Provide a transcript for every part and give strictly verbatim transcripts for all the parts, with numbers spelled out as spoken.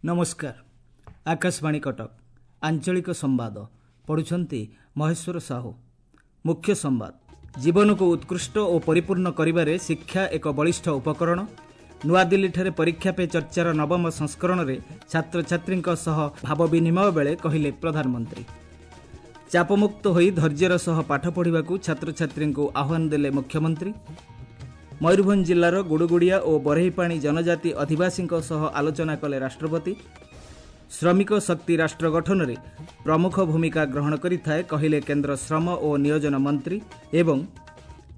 ନମସ୍କାର, ଆକାଶବାଣୀ କଟକ, ଆଞ୍ଚଳିକ ସମ୍ବାଦ ପଢୁଛନ୍ତି ମହେଶ୍ୱର ସାହୁ। ମୁଖ୍ୟ ସମ୍ବାଦ। ଜୀବନକୁ ଉତ୍କୃଷ୍ଟ ଓ ପରିପୂର୍ଣ୍ଣ କରିବାରେ ଶିକ୍ଷା ଏକ ବଳିଷ୍ଠ ଉପକରଣ। ନୂଆଦିଲ୍ଲୀଠାରେ ପରୀକ୍ଷା ପେ ଚର୍ଚ୍ଚାର ନବମ ସଂସ୍କରଣରେ ଛାତ୍ରଛାତ୍ରୀଙ୍କ ସହ ଭାବ ବିନିମୟ ବେଳେ କହିଲେ ପ୍ରଧାନମନ୍ତ୍ରୀ। ଚାପମୁକ୍ତ ହୋଇ ଧୈର୍ଯ୍ୟର ସହ ପାଠ ପଢ଼ିବାକୁ ଛାତ୍ରଛାତ୍ରୀଙ୍କୁ ଆହ୍ୱାନ ଦେଲେ ମୁଖ୍ୟମନ୍ତ୍ରୀ। ମୟୂରଭଞ୍ଜ ଜିଲ୍ଲାର ଗୁଡ଼ୁଗୁଡ଼ିଆ ଓ ବରେହିପାଣି ଜନଜାତି ଅଧିବାସୀଙ୍କ ସହ ଆଲୋଚନା କଲେ ରାଷ୍ଟ୍ରପତି। ଶ୍ରମିକ ଶକ୍ତି ରାଷ୍ଟ୍ର ଗଠନରେ ପ୍ରମୁଖ ଭୂମିକା ଗ୍ରହଣ କରିଥାଏ, କହିଲେ କେନ୍ଦ୍ର ଶ୍ରମ ଓ ନିୟୋଜନ ମନ୍ତ୍ରୀ। ଏବଂ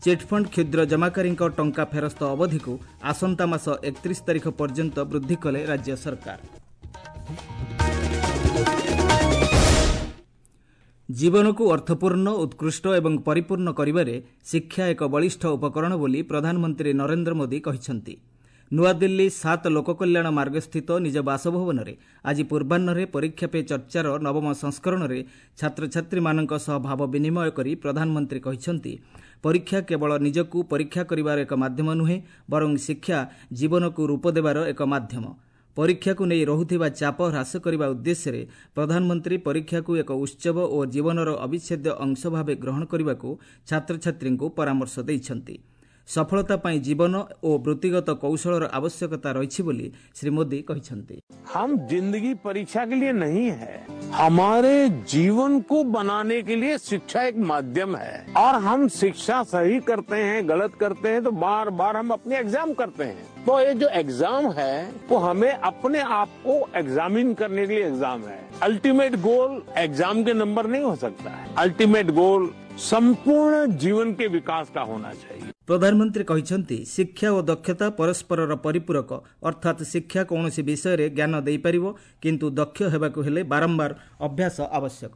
ଚିଟ୍ଫଣ୍ଡ କ୍ଷୁଦ୍ର ଜମାକାରୀଙ୍କ ଟଙ୍କା ଫେରସ୍ତ ଅବଧିକୁ ଆସନ୍ତା ମାସ ଏକତିରିଶ ତାରିଖ ପର୍ଯ୍ୟନ୍ତ ବୃଦ୍ଧି କଲେ ରାଜ୍ୟ ସରକାର। ଜୀବନକୁ ଅର୍ଥପୂର୍ଣ୍ଣ, ଉତ୍କୃଷ୍ଟ ଏବଂ ପରିପୂର୍ଣ୍ଣ କରିବାରେ ଶିକ୍ଷା ଏକ ବଳିଷ୍ଠ ଉପକରଣ ବୋଲି ପ୍ରଧାନମନ୍ତ୍ରୀ ନରେନ୍ଦ୍ର ମୋଦି କହିଛନ୍ତି। ନୂଆଦିଲ୍ଲୀ ସାତ ଲୋକକଲ୍ୟାଣ ମାର୍ଗସ୍ଥିତ ନିଜ ବାସଭବନରେ ଆଜି ପୂର୍ବାହ୍ନରେ ପରୀକ୍ଷା ପେ ଚର୍ଚ୍ଚାର ନବମ ସଂସ୍କରଣରେ ଛାତ୍ରଛାତ୍ରୀମାନଙ୍କ ସହ ଭାବ ବିନିମୟ କରି ପ୍ରଧାନମନ୍ତ୍ରୀ କହିଛନ୍ତି, ପରୀକ୍ଷା କେବଳ ନିଜକୁ ପରୀକ୍ଷା କରିବାର ଏକ ମାଧ୍ୟମ ନୁହେଁ, ବରଂ ଶିକ୍ଷା ଜୀବନକୁ ରୂପ ଦେବାର ଏକ ମାଧ୍ୟମ। ପରୀକ୍ଷାକୁ ନେଇ ରହୁଥିବା ଚାପ ହ୍ରାସ କରିବା ଉଦ୍ଦେଶ୍ୟରେ ପ୍ରଧାନମନ୍ତ୍ରୀ ପରୀକ୍ଷାକୁ ଏକ ଉତ୍ସବ ଓ ଜୀବନର ଅବିଚ୍ଛେଦ୍ୟ ଅଂଶ ଭାବେ ଗ୍ରହଣ କରିବାକୁ ଛାତ୍ରଛାତ୍ରୀଙ୍କୁ ପରାମର୍ଶ ଦେଇଛନ୍ତି। ସଫଳତା ପାଇଁ ଜୀବନ ଓ ବୃତ୍ତିଗତ କୌଶଳର ଆବଶ୍ୟକତା ରହିଛି ବୋଲି ଶ୍ରୀ ମୋଦି କହିଛନ୍ତି। हम जिंदगी परीक्षा के लिए नहीं है, हमारे जीवन को बनाने के लिए शिक्षा एक माध्यम है। और हम शिक्षा सही करते हैं, गलत करते हैं तो बार बार हम अपने एग्जाम करते हैं। तो ये जो एग्जाम है वो हमें अपने आप को एग्जामिन करने के लिए एग्जाम है। अल्टीमेट गोल एग्जाम के नंबर नहीं हो सकता है। अल्टीमेट गोल संपूर्ण जीवन के विकास का होना चाहिए। ପ୍ରଧାନମନ୍ତ୍ରୀ କହିଛନ୍ତି, ଶିକ୍ଷା ଓ ଦକ୍ଷତା ପରସ୍ପରର ପରିପୂରକ। ଅର୍ଥାତ୍ ଶିକ୍ଷା କୌଣସି ବିଷୟରେ ଜ୍ଞାନ ଦେଇପାରିବ, କିନ୍ତୁ ଦକ୍ଷ ହେବାକୁ ହେଲେ ବାରମ୍ବାର ଅଭ୍ୟାସ ଆବଶ୍ୟକ।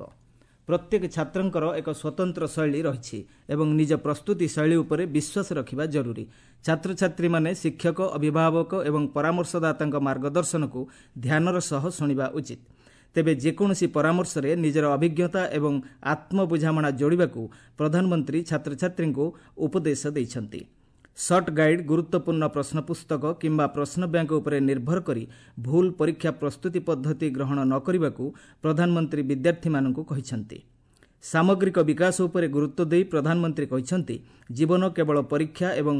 ପ୍ରତ୍ୟେକ ଛାତ୍ରଙ୍କର ଏକ ସ୍ୱତନ୍ତ୍ର ଶୈଳୀ ରହିଛି ଏବଂ ନିଜ ପ୍ରସ୍ତୁତି ଶୈଳୀ ଉପରେ ବିଶ୍ୱାସ ରଖିବା ଜରୁରୀ। ଛାତ୍ରଛାତ୍ରୀମାନେ ଶିକ୍ଷକ, ଅଭିଭାବକ ଏବଂ ପରାମର୍ଶଦାତାଙ୍କ ମାର୍ଗଦର୍ଶନକୁ ଧ୍ୟାନର ସହ ଶୁଣିବା ଉଚିତ। ତେବେ ଯେକୌଣସି ପରାମର୍ଶରେ ନିଜର ଅଭିଜ୍ଞତା ଏବଂ ଆତ୍ମବୁଝାମଣା ଯୋଡ଼ିବାକୁ ପ୍ରଧାନମନ୍ତ୍ରୀ ଛାତ୍ରଛାତ୍ରୀଙ୍କୁ ଉପଦେଶ ଦେଇଛନ୍ତି। ସର୍ଟ ଗାଇଡ୍, ଗୁରୁତ୍ୱପୂର୍ଣ୍ଣ ପ୍ରଶ୍ନପୁସ୍ତକ କିମ୍ବା ପ୍ରଶ୍ନ ବ୍ୟାଙ୍କ ଉପରେ ନିର୍ଭର କରି ଭୁଲ ପରୀକ୍ଷା ପ୍ରସ୍ତୁତି ପଦ୍ଧତି ଗ୍ରହଣ ନ କରିବାକୁ ପ୍ରଧାନମନ୍ତ୍ରୀ ବିଦ୍ୟାର୍ଥୀମାନଙ୍କୁ କହିଛନ୍ତି। ସାମଗ୍ରିକ ବିକାଶ ଉପରେ ଗୁରୁତ୍ୱ ଦେଇ ପ୍ରଧାନମନ୍ତ୍ରୀ କହିଛନ୍ତି, ଜୀବନ କେବଳ ପରୀକ୍ଷା ଏବଂ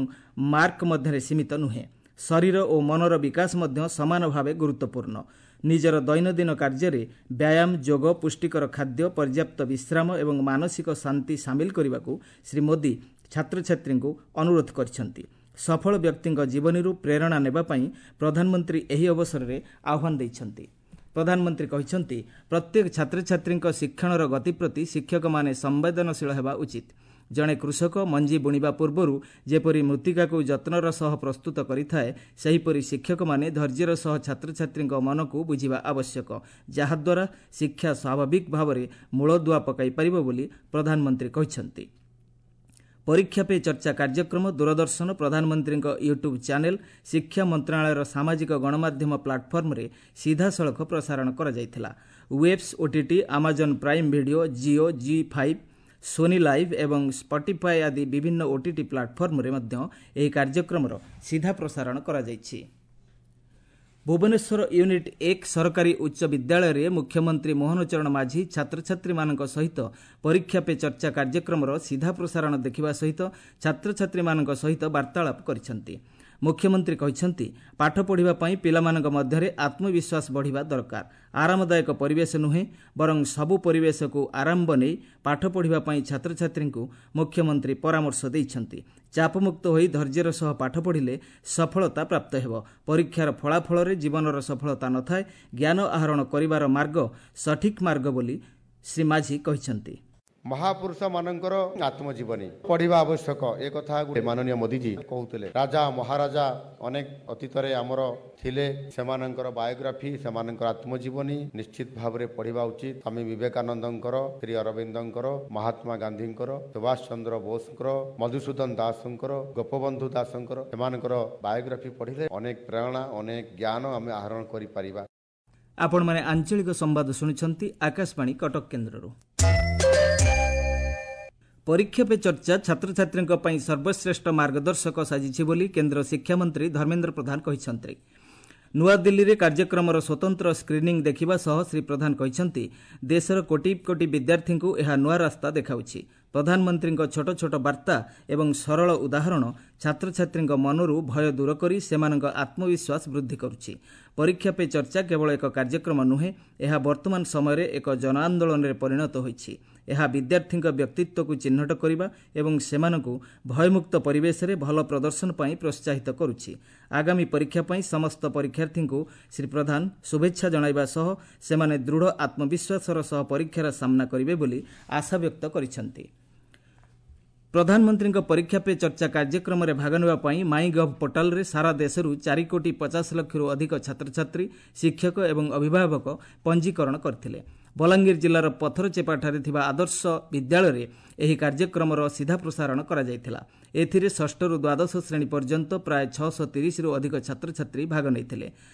ମାର୍କ ମଧ୍ୟରେ ସୀମିତ ନୁହେଁ, ଶରୀର ଓ ମନର ବିକାଶ ମଧ୍ୟ ସମାନ ଭାବେ ଗୁରୁତ୍ୱପୂର୍ଣ୍ଣ। ନିଜର ଦୈନନ୍ଦିନ କାର୍ଯ୍ୟରେ ବ୍ୟାୟାମ, ଯୋଗ, ପୁଷ୍ଟିକର ଖାଦ୍ୟ, ପର୍ଯ୍ୟାପ୍ତ ବିଶ୍ରାମ ଏବଂ ମାନସିକ ଶାନ୍ତି ସାମିଲ କରିବାକୁ ଶ୍ରୀ ମୋଦି ଛାତ୍ରଛାତ୍ରୀଙ୍କୁ ଅନୁରୋଧ କରିଛନ୍ତି। ସଫଳ ବ୍ୟକ୍ତିଙ୍କ ଜୀବନୀରୁ ପ୍ରେରଣା ନେବା ପାଇଁ ପ୍ରଧାନମନ୍ତ୍ରୀ ଏହି ଅବସରରେ ଆହ୍ୱାନ ଦେଇଛନ୍ତି। ପ୍ରଧାନମନ୍ତ୍ରୀ କହିଛନ୍ତି, ପ୍ରତ୍ୟେକ ଛାତ୍ରଛାତ୍ରୀଙ୍କ ଶିକ୍ଷଣର ଗତି ପ୍ରତି ଶିକ୍ଷକମାନେ ସମ୍ବେଦନଶୀଳ ହେବା ଉଚିତ। ଜଣେ କୃଷକ ମଞ୍ଜି ବୁଣିବା ପୂର୍ବରୁ ଯେପରି ମୃତ୍ତିକାକୁ ଯତ୍ନର ସହ ପ୍ରସ୍ତୁତ କରିଥାଏ, ସେହିପରି ଶିକ୍ଷକମାନେ ଧୈର୍ଯ୍ୟର ସହ ଛାତ୍ରଛାତ୍ରୀଙ୍କ ମନକୁ ବୁଝିବା ଆବଶ୍ୟକ, ଯାହାଦ୍ୱାରା ଶିକ୍ଷା ସ୍ୱାଭାବିକ ଭାବରେ ମୂଳଦୁଆ ପକାଇ ପାରିବ ବୋଲି ପ୍ରଧାନମନ୍ତ୍ରୀ କହିଛନ୍ତି। ପରୀକ୍ଷା ପେ ଚର୍ଚ୍ଚା କାର୍ଯ୍ୟକ୍ରମ ଦୂରଦର୍ଶନ, ପ୍ରଧାନମନ୍ତ୍ରୀଙ୍କ ୟୁଟ୍ୟୁବ୍ ଚ୍ୟାନେଲ୍, ଶିକ୍ଷା ମନ୍ତ୍ରଣାଳୟର ସାମାଜିକ ଗଣମାଧ୍ୟମ ପ୍ଲାଟଫର୍ମରେ ସିଧାସଳଖ ପ୍ରସାରଣ କରାଯାଇଥିଲା। Waves OTT, Amazon Prime Video, Jio, Zee five, Sony Live ଏବଂ ସ୍ପଟିଫାଏ ଆଦି ବିଭିନ୍ନ ଓଟିଟି ପ୍ଲାଟଫର୍ମରେ ମଧ୍ୟ ଏହି କାର୍ଯ୍ୟକ୍ରମର ସିଧା ପ୍ରସାରଣ କରାଯାଇଛି। ଭୁବନେଶ୍ୱର ୟୁନିଟ୍ ଏକ ସରକାରୀ ଉଚ୍ଚ ବିଦ୍ୟାଳୟରେ ମୁଖ୍ୟମନ୍ତ୍ରୀ ମୋହନ ଚରଣ ମାଝୀ ଛାତ୍ରଛାତ୍ରୀମାନଙ୍କ ସହିତ ପରୀକ୍ଷା ପେ ଚର୍ଚ୍ଚା କାର୍ଯ୍ୟକ୍ରମର ସିଧା ପ୍ରସାରଣ ଦେଖିବା ସହିତ ଛାତ୍ରଛାତ୍ରୀମାନଙ୍କ ସହିତ ବାର୍ତ୍ତାଳାପ କରିଛନ୍ତି। ମୁଖ୍ୟମନ୍ତ୍ରୀ କହିଛନ୍ତି, ପାଠ ପଢ଼ିବା ପାଇଁ ପିଲାମାନଙ୍କ ମଧ୍ୟରେ ଆତ୍ମବିଶ୍ୱାସ ବଢ଼ିବା ଦରକାର। ଆରାମଦାୟକ ପରିବେଶ ନୁହେଁ, ବରଂ ସବୁ ପରିବେଶକୁ ଆରାମ ବନେଇ ପାଠ ପଢ଼ିବା ପାଇଁ ଛାତ୍ରଛାତ୍ରୀଙ୍କୁ ମୁଖ୍ୟମନ୍ତ୍ରୀ ପରାମର୍ଶ ଦେଇଛନ୍ତି। ଚାପମୁକ୍ତ ହୋଇ ଧୈର୍ଯ୍ୟର ସହ ପାଠ ପଢ଼ିଲେ ସଫଳତା ପ୍ରାପ୍ତ ହେବ। ପରୀକ୍ଷାର ଫଳାଫଳରେ ଜୀବନର ସଫଳତା ନଥାଏ, ଜ୍ଞାନ ଆହରଣ କରିବାର ମାର୍ଗ ସଠିକ୍ ମାର୍ଗ ବୋଲି ଶ୍ରୀ ମାଝୀ କହିଛନ୍ତି। ମହାପୁରୁଷ ମାନଙ୍କର ଆତ୍ମଜୀବନୀ ପଢିବା ଆବଶ୍ୟକ, ଏ କଥା ମାନନୀୟ ମୋଦିଜୀ କହୁଥିଲେ। ରାଜା ମହାରାଜା ଅନେକ ଅତୀତରେ ଆମର ଥିଲେ, ସେମାନଙ୍କର ବାୟୋଗ୍ରାଫି, ସେମାନଙ୍କର ଆତ୍ମଜୀବନୀ ନିଶ୍ଚିତ ଭାବରେ ପଢିବା ଉଚିତ। ସ୍ୱାମୀ ବିବେକାନନ୍ଦଙ୍କର, ଶ୍ରୀ ଅରବିନ୍ଦଙ୍କର, ମହାତ୍ମା ଗାନ୍ଧୀଙ୍କର, ସୁଭାଷ ଚନ୍ଦ୍ର ବୋଷଙ୍କର, ମଧୁସୂଦନ ଦାସଙ୍କର, ଗୋପବନ୍ଧୁ ଦାସଙ୍କର, ସେମାନଙ୍କର ବାୟୋଗ୍ରାଫି ପଢିଲେ ଅନେକ ପ୍ରେରଣା, ଅନେକ ଜ୍ଞାନ ଆମେ ଆହରଣ କରିପାରିବା। ଆପଣମାନେ ଆଞ୍ଚଳିକ ସମ୍ବାଦ ଶୁଣୁଛନ୍ତି ଆକାଶବାଣୀ କଟକ କେନ୍ଦ୍ରରୁ। ପରୀକ୍ଷା ପେ ଚର୍ଚ୍ଚା ଛାତ୍ରଛାତ୍ରୀଙ୍କ ପାଇଁ ସର୍ବଶ୍ରେଷ୍ଠ ମାର୍ଗଦର୍ଶକ ସାଜିଛି ବୋଲି କେନ୍ଦ୍ର ଶିକ୍ଷାମନ୍ତ୍ରୀ ଧର୍ମେନ୍ଦ୍ର ପ୍ରଧାନ କହିଛନ୍ତି। ନୂଆଦିଲ୍ଲୀରେ କାର୍ଯ୍ୟକ୍ରମର ସ୍ୱତନ୍ତ୍ର ସ୍କ୍ରିନିଂ ଦେଖିବା ସହ ଶ୍ରୀ ପ୍ରଧାନ କହିଛନ୍ତି, ଦେଶର କୋଟି କୋଟି ବିଦ୍ୟାର୍ଥୀଙ୍କୁ ଏହା ନୂଆ ରାସ୍ତା ଦେଖାଉଛି। ପ୍ରଧାନମନ୍ତ୍ରୀଙ୍କ ଛୋଟ ଛୋଟ ବାର୍ତ୍ତା ଏବଂ ସରଳ ଉଦାହରଣ ଛାତ୍ରଛାତ୍ରୀଙ୍କ ମନରୁ ଭୟ ଦୂର କରି ସେମାନଙ୍କ ଆତ୍ମବିଶ୍ୱାସ ବୃଦ୍ଧି କରୁଛି। ପରୀକ୍ଷା ପେ ଚର୍ଚ୍ଚା କେବଳ ଏକ କାର୍ଯ୍ୟକ୍ରମ ନୁହେଁ, ଏହା ବର୍ତ୍ତମାନ ସମୟରେ ଏକ ଜନଆନ୍ଦୋଳନରେ ପରିଣତ ହୋଇଛି। ଏହା ବିଦ୍ୟାର୍ଥୀଙ୍କ ବ୍ୟକ୍ତିତ୍ୱକୁ ଚିହ୍ନଟ କରିବା ଏବଂ ସେମାନଙ୍କୁ ଭୟମୁକ୍ତ ପରିବେଶରେ ଭଲ ପ୍ରଦର୍ଶନ ପାଇଁ ପ୍ରୋତ୍ସାହିତ କରୁଛି। ଆଗାମୀ ପରୀକ୍ଷା ପାଇଁ ସମସ୍ତ ପରୀକ୍ଷାର୍ଥୀଙ୍କୁ ଶ୍ରୀ ପ୍ରଧାନ ଶୁଭେଚ୍ଛା ଜଣାଇବା ସହ ସେମାନେ ଦୃଢ଼ ଆତ୍ମବିଶ୍ୱାସର ସହ ପରୀକ୍ଷାର ସାମ୍ନା କରିବେ ବୋଲି ଆଶା ବ୍ୟକ୍ତ କରିଛନ୍ତି। ପ୍ରଧାନମନ୍ତ୍ରୀଙ୍କ ପରୀକ୍ଷା ପେ ଚର୍ଚ୍ଚା କାର୍ଯ୍ୟକ୍ରମରେ ଭାଗ ନେବା ପାଇଁ ମାଇ ଗଭ୍ ପୋର୍ଟାଲରେ ସାରା ଦେଶରୁ ଚାରି କୋଟି ପଚାଶ ଲକ୍ଷରୁ ଅଧିକ ଛାତ୍ରଛାତ୍ରୀ, ଶିକ୍ଷକ ଏବଂ ଅଭିଭାବକ ପଞ୍ଜୀକରଣ କରିଥିଲେ। ବଲାଙ୍ଗୀର ଜିଲ୍ଲାର ପଥରଚେପାଠାରେ ଥିବା ଆଦର୍ଶ ବିଦ୍ୟାଳୟରେ ଏହି କାର୍ଯ୍ୟକ୍ରମର ସିଧା ପ୍ରସାରଣ କରାଯାଇଥିଲା। ଏଥିରେ ଷଷ୍ଠରୁ ଦ୍ୱାଦଶ ଶ୍ରେଣୀ ପର୍ଯ୍ୟନ୍ତ ପ୍ରାୟ ଛଅଶହ ତିରିଶରୁ ଅଧିକ ଛାତ୍ରଛାତ୍ରୀ ଭାଗ ନେଇଥିଲେ।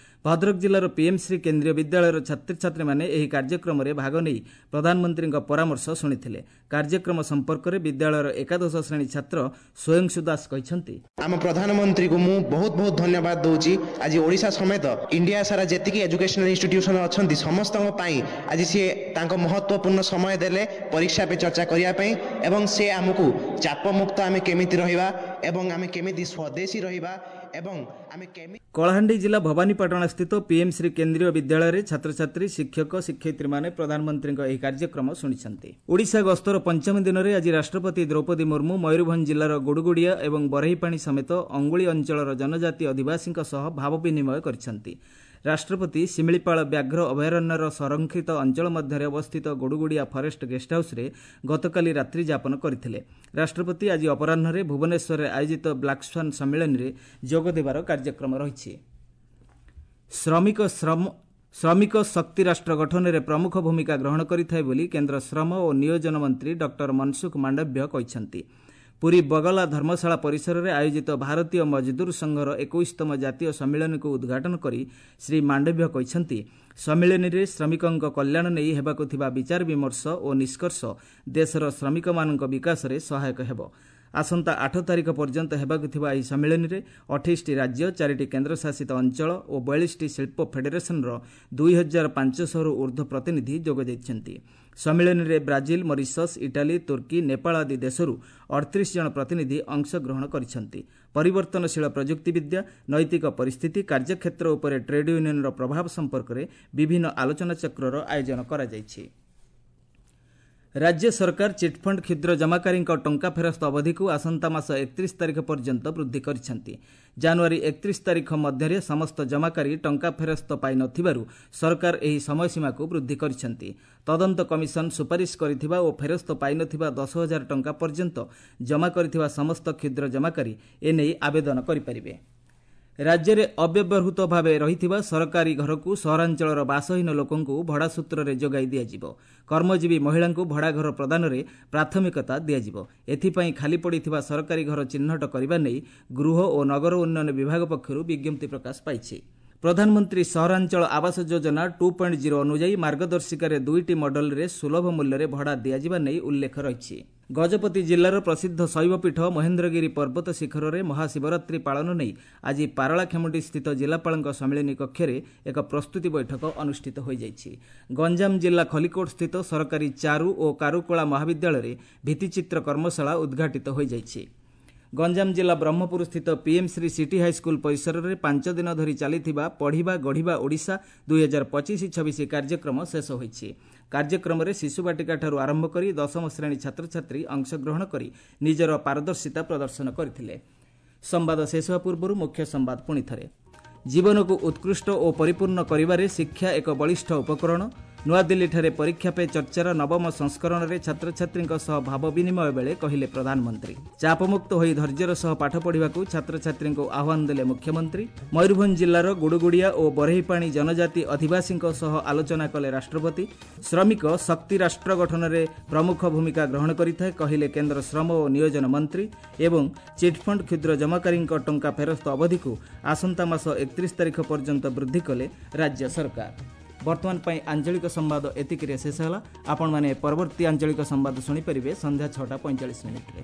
ଭଦ୍ରକ ଜିଲ୍ଲାର ପିଏମ୍ଶ୍ରୀ କେନ୍ଦ୍ରୀୟ ବିଦ୍ୟାଳୟର ଛାତ୍ରଛାତ୍ରୀମାନେ ଏହି କାର୍ଯ୍ୟକ୍ରମରେ ଭାଗ ନେଇ ପ୍ରଧାନମନ୍ତ୍ରୀଙ୍କ ପରାମର୍ଶ ଶୁଣିଥିଲେ। କାର୍ଯ୍ୟକ୍ରମ ସମ୍ପର୍କରେ ବିଦ୍ୟାଳୟର ଏକାଦଶ ଶ୍ରେଣୀ ଛାତ୍ର ସ୍ୱୟଂଶୁ ଦାସ କହିଛନ୍ତି, ଆମ ପ୍ରଧାନମନ୍ତ୍ରୀକୁ ମୁଁ ବହୁତ ବହୁତ ଧନ୍ୟବାଦ ଦଉଛି। ଆଜି ଓଡ଼ିଶା ସମେତ ଇଣ୍ଡିଆ ସାରା ଯେତିକି ଏଜୁକେସନାଲ ଇନଷ୍ଟିଟ୍ୟୁସନ ଅଛନ୍ତି ସମସ୍ତଙ୍କ ପାଇଁ ଆଜି ସିଏ ତାଙ୍କ ମହତ୍ତ୍ୱପୂର୍ଣ୍ଣ ସମୟ ଦେଲେ ପରୀକ୍ଷା ପେ ଚର୍ଚ୍ଚା କରିବା ପାଇଁ, ଏବଂ ସେ ଆମକୁ ଚାପମୁକ୍ତ ଆମେ କେମିତି ରହିବା ଏବଂ ଆମେ କେମିତି ସ୍ୱଦେଶୀ ରହିବା ଏବଂ ଆମେ କେମିତି। କଳାହାଣ୍ଡି ଜିଲ୍ଲା ଭବାନୀପାଟଣା ସ୍ଥିତ ପିଏମ୍ଶ୍ରୀ କେନ୍ଦ୍ରୀୟ ବିଦ୍ୟାଳୟରେ ଛାତ୍ରଛାତ୍ରୀ, ଶିକ୍ଷକ, ଶିକ୍ଷୟିତ୍ରୀମାନେ ପ୍ରଧାନମନ୍ତ୍ରୀଙ୍କ ଏହି କାର୍ଯ୍ୟକ୍ରମ ଶୁଣିଛନ୍ତି। ଓଡ଼ିଶା ଗସ୍ତର ପଞ୍ଚମ ଦିନରେ ଆଜି ରାଷ୍ଟ୍ରପତି ଦ୍ରୌପଦୀ ମୁର୍ମୁ ମୟୂରଭଞ୍ଜ ଜିଲ୍ଲାର ଗୁଡ଼ୁଗୁଡ଼ିଆ ଏବଂ ବରେହିପାଣି ସମେତ ଅଙ୍ଗୁଳି ଅଞ୍ଚଳର ଜନଜାତି ଅଧିବାସୀଙ୍କ ସହ ଭାବ ବିନିମୟ କରିଛନ୍ତି। ରାଷ୍ଟ୍ରପତି ଶିମିଳିପାଳ ବ୍ୟାଘ୍ର ଅଭୟାରଣ୍ୟର ସଂରକ୍ଷିତ ଅଞ୍ଚଳ ମଧ୍ୟରେ ଅବସ୍ଥିତ ଗୁଡ଼ୁଗୁଡ଼ିଆ ଫରେଷ୍ଟ ଗେଷ୍ଟ ହାଉସ୍ରେ ଗତକାଲି ରାତ୍ରି ଯାପନ କରିଥିଲେ। ରାଷ୍ଟ୍ରପତି ଆଜି ଅପରାହ୍ନରେ ଭୁବନେଶ୍ୱରରେ ଆୟୋଜିତ ବ୍ଲାକ୍ ସ୍ୱାନ୍ ସମ୍ମିଳନୀରେ ଯୋଗ ଦେବାର କାର୍ଯ୍ୟକ୍ରମ ରହିଛି। ଶ୍ରମିକ ଶ୍ରମ ଶ୍ରମିକ ଶକ୍ତି ରାଷ୍ଟ୍ର ଗଠନରେ ପ୍ରମୁଖ ଭୂମିକା ଗ୍ରହଣ କରିଥାଏ ବୋଲି କେନ୍ଦ୍ର ଶ୍ରମ ଓ ନିୟୋଜନ ମନ୍ତ୍ରୀ ଡକ୍ଟର ମନସୁଖ ମାଣ୍ଡବ୍ୟ କହିଛନ୍ତି। ପୁରୀ ବଗଲା ଧର୍ମଶାଳା ପରିସରରେ ଆୟୋଜିତ ଭାରତୀୟ ମଜଦୁର ସଂଘର ଏକୋଇଶତମ ଜାତୀୟ ସମ୍ମିଳନୀକୁ ଉଦ୍ଘାଟନ କରି ଶ୍ରୀ ମାଣ୍ଡବ୍ୟ କହିଛନ୍ତି, ସମ୍ମିଳନୀରେ ଶ୍ରମିକଙ୍କ କଲ୍ୟାଣ ନେଇ ହେବାକୁ ଥିବା ବିଚାର ବିମର୍ଶ ଓ ନିଷ୍କର୍ଷ ଦେଶର ଶ୍ରମିକମାନଙ୍କ ବିକାଶରେ ସହାୟକ ହେବ। ଆସନ୍ତା ଆଠ ତାରିଖ ପର୍ଯ୍ୟନ୍ତ ହେବାକୁ ଥିବା ଏହି ସମ୍ମିଳନୀରେ ଅଠେଇଶଟି ରାଜ୍ୟ, ଚାରିଟି କେନ୍ଦ୍ରଶାସିତ ଅଞ୍ଚଳ ଓ ବୟାଳିଶଟି ଶିଳ୍ପ ଫେଡେରେସନର ଦୁଇ ହଜାର ପାଞ୍ଚଶହରୁ ଉର୍ଦ୍ଧ୍ୱ ପ୍ରତିନିଧି ଯୋଗ ଦେଇଛନ୍ତି। ସମ୍ମିଳନୀରେ ବ୍ରାଜିଲ, ମରିସସ୍, ଇଟାଲୀ, ତୁର୍କୀ, ନେପାଳ ଆଦି ଦେଶରୁ ଅଠତିରିଶ ଜଣ ପ୍ରତିନିଧି ଅଂଶଗ୍ରହଣ କରିଛନ୍ତି। ପରିବର୍ତ୍ତନଶୀଳ ପ୍ରଯୁକ୍ତିବିଦ୍ୟା, ନୈତିକ ପରିସ୍ଥିତି, କାର୍ଯ୍ୟକ୍ଷେତ୍ର ଉପରେ ଟ୍ରେଡ୍ ୟୁନିୟନର ପ୍ରଭାବ ସମ୍ପର୍କରେ ବିଭିନ୍ନ ଆଲୋଚନାଚକ୍ରର ଆୟୋଜନ କରାଯାଇଛି। ରାଜ୍ୟ ସରକାର ଚିଟ୍ଫଣ୍ଡ କ୍ଷୁଦ୍ର ଜମାକାରୀଙ୍କ ଟଙ୍କା ଫେରସ୍ତ ଅବଧିକୁ ଆସନ୍ତା ମାସ ଏକତିରିଶ ତାରିଖ ପର୍ଯ୍ୟନ୍ତ ବୃଦ୍ଧି କରିଛନ୍ତି। ଜାନୁଆରୀ ଏକତିରିଶ ତାରିଖ ମଧ୍ୟରେ ସମସ୍ତ ଜମାକାରୀ ଟଙ୍କା ଫେରସ୍ତ ପାଇନଥିବାରୁ ସରକାର ଏହି ସମୟସୀମାକୁ ବୃଦ୍ଧି କରିଛନ୍ତି। ତଦନ୍ତ କମିଶନ ସୁପାରିଶ କରିଥିବା ଓ ଫେରସ୍ତ ପାଇନଥିବା ଦଶ ହଜାର ଟଙ୍କା ପର୍ଯ୍ୟନ୍ତ ଜମା କରିଥିବା ସମସ୍ତ କ୍ଷୁଦ୍ର ଜମାକାରୀ ଏନେଇ ଆବେଦନ କରିପାରିବେ। ରାଜ୍ୟରେ ଅବ୍ୟବହୃତ ଭାବେ ରହିଥିବା ସରକାରୀ ଘରକୁ ସହରାଞ୍ଚଳର ବାସହୀନ ଲୋକଙ୍କୁ ଭଡ଼ା ସୂତ୍ରରେ ଯୋଗାଇ ଦିଆଯିବ। କର୍ମଜୀବୀ ମହିଳାଙ୍କୁ ଭଡ଼ାଘର ପ୍ରଦାନରେ ପ୍ରାଥମିକତା ଦିଆଯିବ। ଏଥିପାଇଁ ଖାଲି ପଡ଼ିଥିବା ସରକାରୀ ଘର ଚିହ୍ନଟ କରିବା ନେଇ ଗୃହ ଓ ନଗର ଉନ୍ନୟନ ବିଭାଗ ପକ୍ଷରୁ ବିଜ୍ଞପ୍ତି ପ୍ରକାଶ ପାଇଛି। ପ୍ରଧାନମନ୍ତ୍ରୀ ସହରାଞ୍ଚଳ Awas Yojana two point zero ଅନୁଯାୟୀ ମାର୍ଗଦର୍ଶିକାରେ ଦୁଇଟି ମଡେଲରେ ସୁଲଭ ମୂଲ୍ୟରେ ଭଡ଼ା ଦିଆଯିବା ନେଇ ଉଲ୍ଲେଖ ରହିଛି। ଗଜପତି ଜିଲ୍ଲାର ପ୍ରସିଦ୍ଧ ଶୈବପୀଠ ମହେନ୍ଦ୍ରଗିରି ପର୍ବତ ଶିଖରରେ ମହାଶିବରାତ୍ରି ପାଳନ ନେଇ ଆଜି ପାରଳାଖେମୁଣ୍ଡି ସ୍ଥିତ ଜିଲ୍ଲାପାଳଙ୍କ ସମ୍ମିଳନୀ କକ୍ଷରେ ଏକ ପ୍ରସ୍ତୁତି ବୈଠକ ଅନୁଷ୍ଠିତ ହୋଇଯାଇଛି। ଗଞ୍ଜାମ ଜିଲ୍ଲା ଖଲିକୋଟ ସ୍ଥିତ ସରକାରୀ ଚାରୁ ଓ କାରୁକଳା ମହାବିଦ୍ୟାଳୟରେ ଭିତ୍ତିଚିତ୍ର କର୍ମଶାଳା ଉଦ୍ଘାଟିତ ହୋଇଯାଇଛି। ଗଞ୍ଜାମ ଜିଲ୍ଲା ବ୍ରହ୍ମପୁର ସ୍ଥିତ ପିଏମ୍ଶ୍ରୀ ସିଟି ହାଇସ୍କୁଲ ପରିସରରେ ପାଞ୍ଚ ଦିନ ଧରି ଚାଲିଥିବା ପଢ଼ିବା ଗଢ଼ିବା ଓଡ଼ିଶା ଦୁଇ ହଜାର ପଚିଶ ଛବିଶ କାର୍ଯ୍ୟକ୍ରମ ଶେଷ ହୋଇଛି। କାର୍ଯ୍ୟକ୍ରମରେ ଶିଶୁବାଟିକାଠାରୁ ଆରମ୍ଭ କରି ଦଶମ ଶ୍ରେଣୀ ଛାତ୍ରଛାତ୍ରୀ ଅଂଶଗ୍ରହଣ କରି ନିଜର ପାରଦର୍ଶିତା ପ୍ରଦର୍ଶନ କରିଥିଲେ। ସମ୍ବାଦ ଶେଷ ହେବା ପୂର୍ବରୁ ମୁଖ୍ୟ ସମ୍ବାଦ ପୁଣିଥରେ। ଜୀବନକୁ ଉତ୍କୃଷ୍ଟ ଓ ପରିପୂର୍ଣ୍ଣ କରିବାରେ ଶିକ୍ଷା ଏକ ବଳିଷ୍ଠ ଉପକରଣ। ନୂଆଦିଲ୍ଲୀଠାରେ ପରୀକ୍ଷା ପେ ଚର୍ଚ୍ଚାର ନବମ ସଂସ୍କରଣରେ ଛାତ୍ରଛାତ୍ରୀଙ୍କ ସହ ଭାବ ବିନିମୟ ବେଳେ କହିଲେ ପ୍ରଧାନମନ୍ତ୍ରୀ। ଚାପମୁକ୍ତ ହୋଇ ଧୈର୍ଯ୍ୟର ସହ ପାଠ ପଢ଼ିବାକୁ ଛାତ୍ରଛାତ୍ରୀଙ୍କୁ ଆହ୍ୱାନ ଦେଲେ ମୁଖ୍ୟମନ୍ତ୍ରୀ। ମୟୂରଭଞ୍ଜ ଜିଲ୍ଲାର ଗୁଡ଼ୁଗୁଡ଼ିଆ ଓ ବରେହିପାଣି ଜନଜାତି ଅଧିବାସୀଙ୍କ ସହ ଆଲୋଚନା କଲେ ରାଷ୍ଟ୍ରପତି। ଶ୍ରମିକ ଶକ୍ତି ରାଷ୍ଟ୍ର ଗଠନରେ ପ୍ରମୁଖ ଭୂମିକା ଗ୍ରହଣ କରିଥାଏ, କହିଲେ କେନ୍ଦ୍ର ଶ୍ରମ ଓ ନିୟୋଜନ ମନ୍ତ୍ରୀ। ଏବଂ ଚିଟ୍ଫଣ୍ଡ କ୍ଷୁଦ୍ର ଜମାକାରୀଙ୍କ ଟଙ୍କା ଫେରସ୍ତ ଅବଧିକୁ ଆସନ୍ତା ମାସ ଏକତିରିଶ ତାରିଖ ପର୍ଯ୍ୟନ୍ତ ବୃଦ୍ଧି କଲେ ରାଜ୍ୟ ସରକାର। ବର୍ତ୍ତମାନ ପାଇଁ ଆଞ୍ଚଳିକ ସମ୍ବାଦ ଏତିକିରେ ଶେଷ ହେଲା। ଆପଣମାନେ ପରବର୍ତ୍ତୀ ଆଞ୍ଚଳିକ ସମ୍ବାଦ ଶୁଣିପାରିବେ ସନ୍ଧ୍ୟା ଛଅଟା ପଇଁଚାଳିଶ ମିନିଟ୍ରେ।